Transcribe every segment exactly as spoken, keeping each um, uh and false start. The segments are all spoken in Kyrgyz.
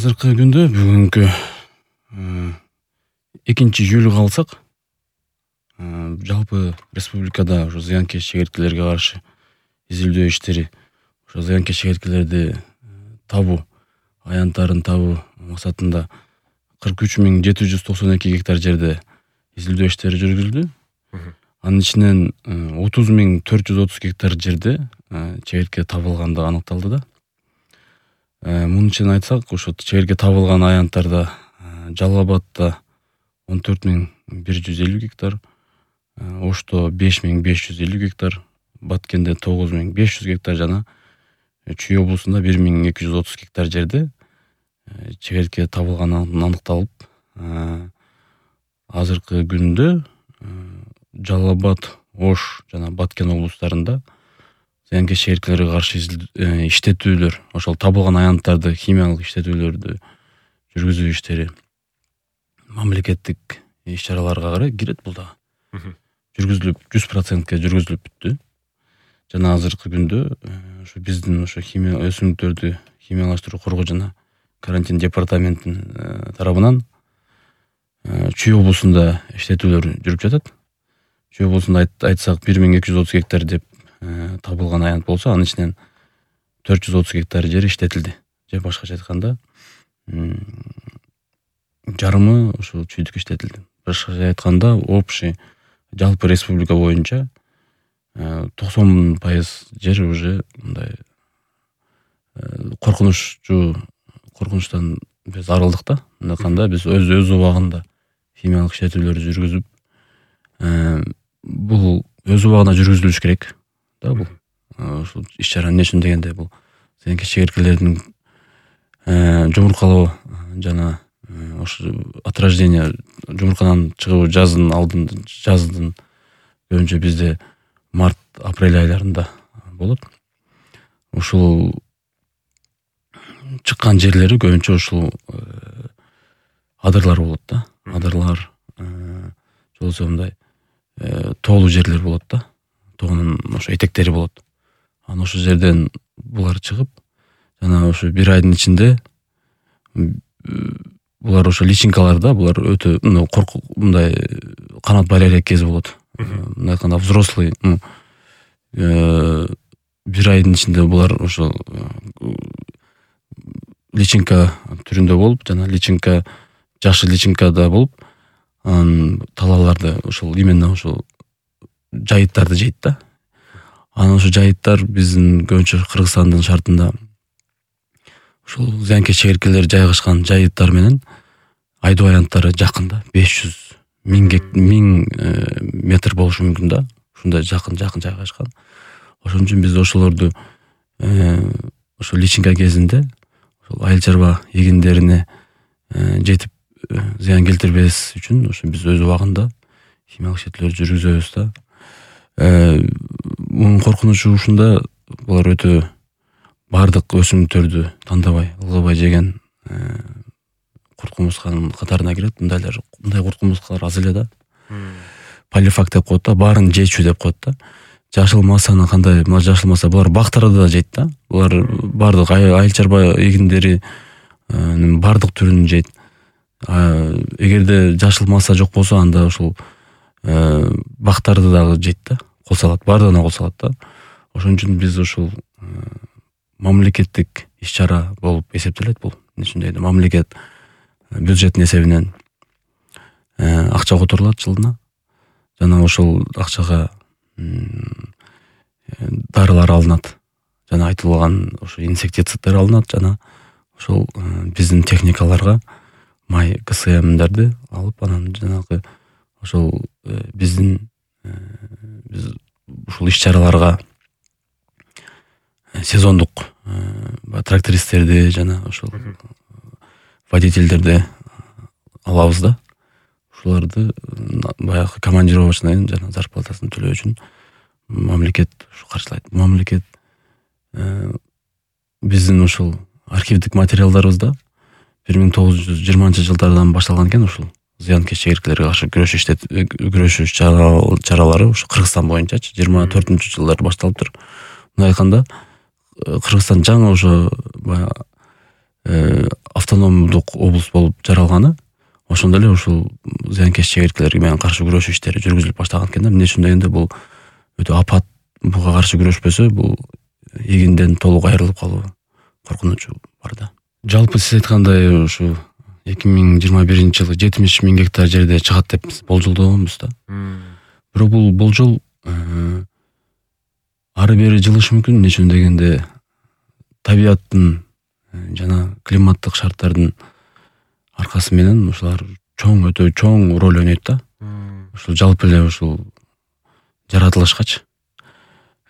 Азыркы күндө бүгүнкү экинчи июлга алсак, жалпы республикада ошо зыянкеч чегирткелерге каршы изилдөө иштери, ошо зыянкеч чегирткелерди табуу, аянттарын табуу максатында кырк үч миң жети жүз токсон эки гектар жерде изилдөө иштери жүргүзүлдү. Анын ичинен отуз миң төрт жүз отуз гектар жерде чегиртке табылгандыгы аныкталды да. Мунун ичинен айтсак, ошо чегиртке табылган аянттарда Жалал Абадта он төрт миң бир жүз элүү гектар, Ошто беш миң беш жүз элүү гектар, Баткенде тогуз миң беш жүз гектар жана Чүй облусунда бир миң эки жүз отуз гектар жерде чегиртке табылганы аныкталып, азыркы күндө Жалал Абад, Ош жана Баткен облустарында зыянкеч чегирткелерге каршы иштетүүлөр, ошол табылган аянттарды химиялык иштетүүлөрдү жүргүзүү иштери мамлекеттик иш-чараларга карай кирет. Бул да жүргүзүлүп жүз процентке жүргүзүлүп бүттү. Жана азыркы күндө ошо биздин ошо химия өсүмдүктөрдү химиялаштыруу коргоо жана карантин департаментинин тарабынан Чүй облусунда иштетүүлөр жүрүп жатат. Чүй облусунда айтсак бир миң эки жүз отуз гектар деп табылган аянт болсо, анын ичинен төрт жүз отуз гектар жер иштетилди. Же башкача айтканда жарымы ошо чүйдүк иштетилди. Башкача айтканда общий жалпы республика боюнча токсон пайыз жер уже мындай коркунуччу коркунучтан биз арылдык да. Андаканда биз өз өз убагында химиялык иштетүүлөрдү жүргүзүп, бул өз убагында жүргүзүлүш керек да. Бул ушул иш-чара эмне үчүн дегенде, бул зыянкеч чегирткелердин жумуркалоо жана ошо отражение жумуркадан чыгуу жаздын алдын жаздын көбүнчө бизде март апрель айларында болот. Ушул чыккан жерлери көбүнчө ушул адырлар болот да. Адырлар болсо мындай тоолуу жерлер болот да. Тоонун ошо этектери болот. Анан ошол жерден булар чыгып, жана ошо бир айдын ичинде булар ошо личинкаларда, булар өтө коркук мындай канат байар элек кези болот. Мындай айтканда взрослый бир айдын ичинде булар ошо личинка түрүндө болуп, жана личинка жакшы личинкада болуп, анан талааларды ошол именно ошол жайыттарды жейт да. Анан ошо жайыттар биздин көбүнчө Кыргызстандын шартында ушул зыянкеч чегирткелер жайгашкан жайыттар менен айдоо аянттары жакын да. беш жүз миң метр болушу мүмкүн да. Ушундай жакын жакын жайгашкан. Ошон үчүн биз ошолорду ошо личинка кезинде ошол айыл чарба эгиндерине жетип зыян келтирбес үчүн ошо биз өз убагында химиялык иштетүүлөрдү жүргүзөбүз да. Мунун коркунучу ушунда, булар өтө бардык өсүмдүктөрдү тандабай, ылгыбай жеген курт кумурсканын катарына кирет. Мындайлар, мындай курт кумурскалар аз эле да. Полифак деп коет да, баарын жечү деп коет да. Жашыл массаны кандай, жашыл масса булар бактарды да жейт да. Булар бардык айыл чарба эгиндери бардык түрүн жейт. Эгерде жашыл масса жок болсо, анда ушул бактарды дагы жейт да. Кол салат, бардыгына кол салат да. Ошон үчүн биз ушул мамлекеттик иш-чара болуп эсептелет бул. Эмне үчүн дейт, мамлекет бюджеттин эсебинен акча которулат жылына. Жана ошол акчага дарылар алынат. Жана айтылган ошо инсектицидтер алынат, жана ошол биздин техникаларга май КСМдерди алып, анан жанагы ошол биздин биз ушул иш-чараларга сезондук трактористтерди жана ошол водительдерди алабыз да. Ушуларды баягы командировочный жана зарплатасын төлөө үчүн мамлекет каржылайт. Мамлекет биздин ушул архивдик материалдарыбызда бир миң тогуз жүз жыйырманчы жылдардан башталган экен ушул зыянкеч чегирткелерге каршы күрөш иштет күрөшүү чаралары ушу Кыргызстан боюнчачы жыйырма төртүнчү жылдар башталыптыр. Мындай айтканда Кыргызстан жаңы ошо баягы автономдук облус болуп жаралганы, ошондо эле ушул зыянкеч чегирткелерге менен каршы күрөшүү иштери жүргүзүлүп баштаган экен да. Эмне үчүн дегенде бул өтө апат, буга каршы күрөшпөсө бул эгинден толук айрылып калуу коркунучу бар да. Жалпы сиз айткандай ушу эки миң жыйырма биринчи жылы жетимиш миң гектар жерде чыгат деп болжолдогонбуз да. Бирок бул болжол ары бери жылышы мүмкүн. Эмне үчүн дегенде табияттын жана климаттык шарттардын аркасы менен ушулар чоң, өтө чоң роль ойнойт да. Ушул жалпы эле ушул жаратылышкачы.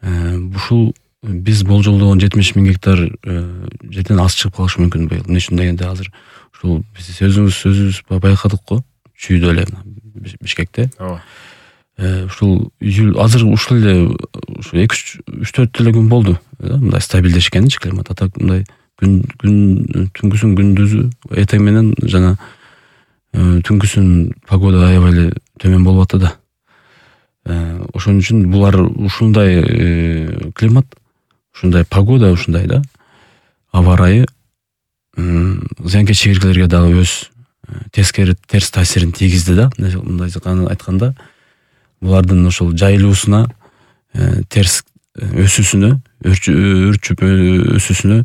Ушул биз болжолдогон жетимиш миң гектар жерден аз чыгып калышы мүмкүн быйыл. Эмне үчүн дегенде азыр ушул биз өзүбүз өзүбүз байкадык го, чүйдө эле Бишкекте. Ооба. Ушул азыр ушул эле ушу эки үч төрт эле күн болду мындай стабилдешкенчи климат. А так мындай күн күн түнкүсүн күндүзү эртең менен жана түнкүсүн погода аябай эле төмөн болуп атты да. Ошон үчүн булар ушундай климат, ушундай погода, ушундай да аба ырайы зыянкеч чегирткелерге дагы өз тескери терс таасирин тийгизди да. Мындай айтканда булардын ошол жайылуусуна, терс өсүүсүнө, өрчүп өсүүсүнө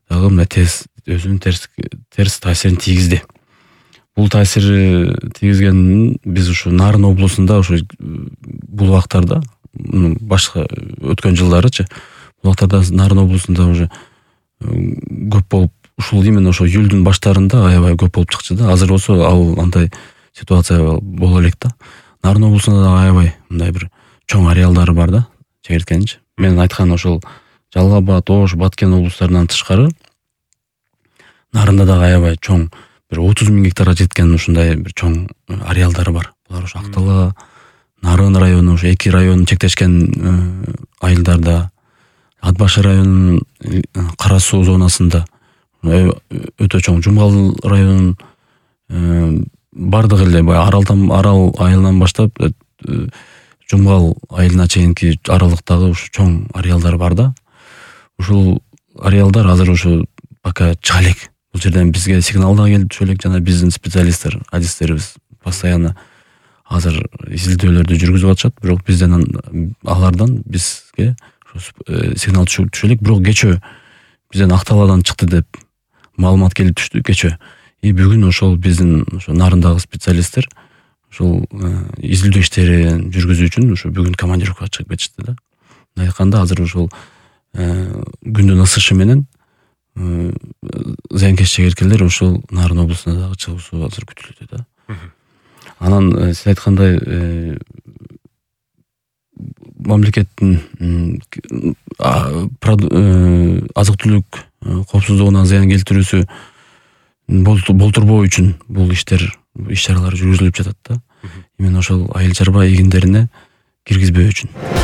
дагы мындай терс өзүнүн терс терс таасирин тийгизди. Бул таасир тийгизгенин биз ушу Нарын облусунда ушу бул убактарда башка өткөн жылдарычы бул убактарда Нарын облусунда уже көп болуп, ушул именно ошо июлдун баштарында аябай көп болуп чыкчу да. Азыр болсо ал андай ситуация боло элек да. Нарын облусунда да аябай мындай бир чоң ареалдары бар да чегирткенчи. Мен айткан ошол Жалал Абад, Ош, Баткен облустарынан тышкары Нарында дагы аябай чоң бир отуз миң гектарга жеткен ушундай бир чоң ареалдары бар. Булар ошо Актала, Нарын району, ошо эки район чектешкен айылдарда, Ат башы районунун Кара суу зонасында, өтө чоң Жумгал районунун бардык эле баягы Аралдан Арал айылынан баштап Жумгал айылына чейинки аралыктагы ушу чоң ареалдар бар да. Ушул ареалдар азыр ушу пока чыга элек. Бул жерден бизге сигнал да келип түшө элек, жана биздин специалисттер, адистерибиз постоянно азыр изилдөөлөрдү жүргүзүп атышат. Бирок бизден алардан бизге сигнал түшө элек. Бирок кечөө бизден Акталадан чыкты деп маалымат келип түштү кечөө. И бүгүн ошол биздин ошо Нарындагы специалисттер ошол изилдөө иштерин жүргүзүү үчүн ушу бүгүн командировкага чыгып кетишти да. Мындай айтканда азыр ошол күндүн ысышы менен зыянкеч чегирткелер ошол Нарын облусуна дагы чыгуусу азыр күтүлүүдө да. Анан сиз айткандай мамлекеттин азык түлүк коопсуздугуна зыян келтирүүсү болтурбоо үчүн бул иштер, иш чаралар жүргүзүлүп жатат да. Именно ошол айыл чарба эгиндерине киргизбөө үчүн.